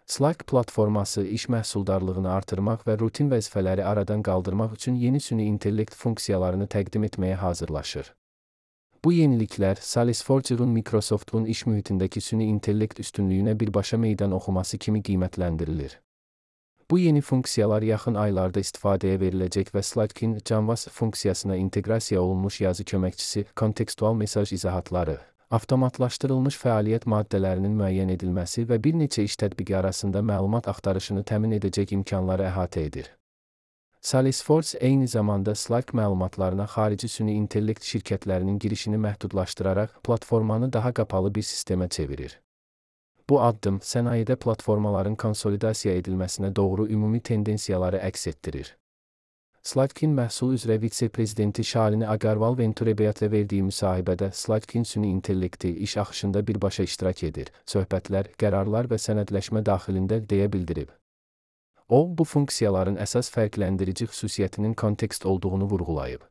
Slack platforması iş məhsuldarlığını artırmaq və rutin vəzifələri aradan qaldırmaq üçün yeni süni intellekt funksiyalarını təqdim etməyə hazırlaşır. Bu yeniliklər Salesforce'un Microsoft'un iş mühitindəki süni intellekt üstünlüyünə birbaşa meydan oxuması kimi qiymətləndirilir. Bu yeni funksiyalar yaxın aylarda istifadəyə veriləcək və Slack'in Canvas funksiyasına inteqrasiya olunmuş yazı köməkçisi, kontekstual mesaj izahatları, avtomatlaşdırılmış fəaliyyət maddələrinin müəyyən edilməsi və bir neçə iş tətbiqi arasında məlumat axtarışını təmin edəcək imkanları əhatə edir. Salesforce eyni zamanda Slack məlumatlarına xarici süni intellekt şirkətlərinin girişini məhdudlaşdıraraq platformanı daha qapalı bir sistemə çevirir. Bu addım sənayedə platformaların konsolidasiya edilməsinə doğru ümumi tendensiyaları əks etdirir. Slack'in məhsul üzrə vitse-prezidenti Shalini Agarwal Venturebeat'lə verdiyi müsahibədə Slack'in süni intellekti iş axışında birbaşa iştirak edir, söhbətlər, qərarlar və sənədləşmə daxilində deyə bildirib. O, bu funksiyaların əsas fərqləndirici xüsusiyyətinin kontekst olduğunu vurğulayıb.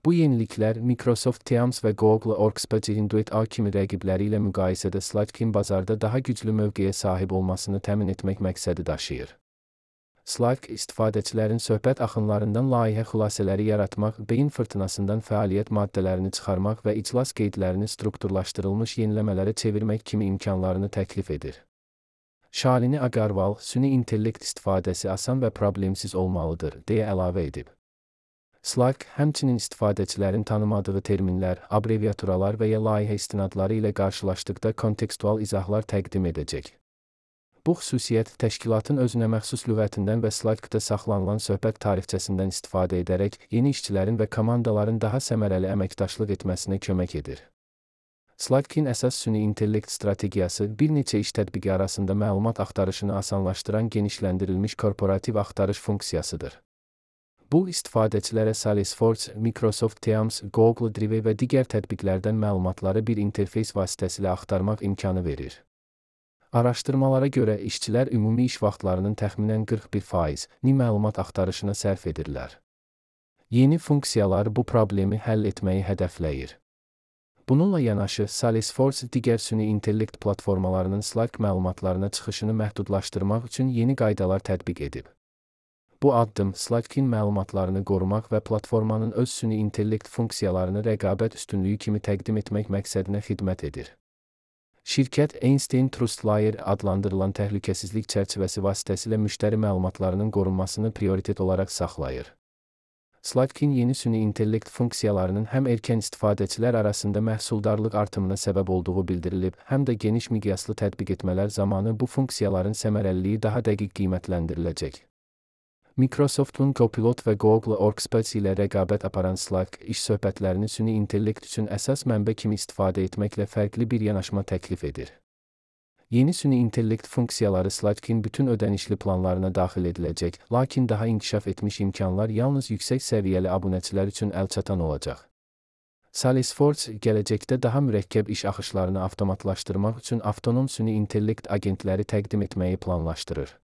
Bu yeniliklər Microsoft Teams və Google Workspace'in Duet A kimi rəqibləri ilə müqayisədə Slack'in bazarda daha güclü mövqeyə sahib olmasını təmin etmək məqsədi daşıyır. Slack, istifadəçilərin söhbət axınlarından layihə xülasələri yaratmaq, beyin fırtınasından fəaliyyət maddələrini çıxarmaq və iclas qeydlərini strukturlaşdırılmış yeniləmələrə çevirmək kimi imkanlarını təklif edir. Shalini Agarwal, süni intellekt istifadəsi asan və problemsiz olmalıdır, deyə əlavə edib. Slack, həmçinin istifadəçilərin tanımadığı terminlər, abreviaturalar və ya layihə istinadları ilə qarşılaşdıqda kontekstual izahlar təqdim edəcək. Bu xüsusiyyət təşkilatın özünəməxsus lüğətindən və Slack'da saxlanılan söhbət tarixçəsindən istifadə edərək yeni işçilərin və komandaların daha səmərəli əməkdaşlıq etməsinə kömək edir. Slack'in əsas süni intellekt strategiyası bir neçə iş tətbiqi arasında məlumat axtarışını asanlaşdıran genişləndirilmiş korporativ axtarış funksiyasıdır. Bu, istifadəçilərə Salesforce, Microsoft Teams, Google Drive və digər tətbiqlərdən məlumatları bir interfeys vasitəsilə axtarmaq imkanı verir. Araşdırmalara görə işçilər ümumi iş vaxtlarının təxminən 41%-ni məlumat axtarışına sərf edirlər. Yeni funksiyalar bu problemi həll etməyi hədəfləyir. Bununla yanaşı, Salesforce digər süni intellekt platformalarının Slack məlumatlarına çıxışını məhdudlaşdırmaq üçün yeni qaydalar tətbiq edib. Bu addım Slack'in məlumatlarını qorumaq və platformanın öz süni intellekt funksiyalarını rəqabət üstünlüyü kimi təqdim etmək məqsədinə xidmət edir. Şirkət Einstein TrustLayer adlandırılan təhlükəsizlik çərçivəsi vasitəsilə müştəri məlumatlarının qorunmasını prioritet olaraq saxlayır. Slack'in yeni süni intellekt funksiyalarının həm erkən istifadəçilər arasında məhsuldarlıq artımına səbəb olduğu bildirilib, həm də geniş miqyaslı tətbiq etmələr zamanı bu funksiyaların səmərəliliyi daha dəqiq qiymətləndiriləcək. Microsoft'un Copilot və Google Workspace ilə rəqabət aparan Slack, iş söhbətlərini süni intellekt üçün əsas mənbə kimi istifadə etməklə fərqli bir yanaşma təklif edir. Yeni süni intellekt funksiyaları Slack'in bütün ödənişli planlarına daxil ediləcək, lakin daha inkişaf etmiş imkanlar yalnız yüksək səviyyəli abunəçilər üçün əlçatan olacaq. Salesforce, gələcəkdə daha mürəkkəb iş axışlarını avtomatlaşdırmaq üçün avtonom süni intellekt agentləri təqdim etməyi planlaşdırır.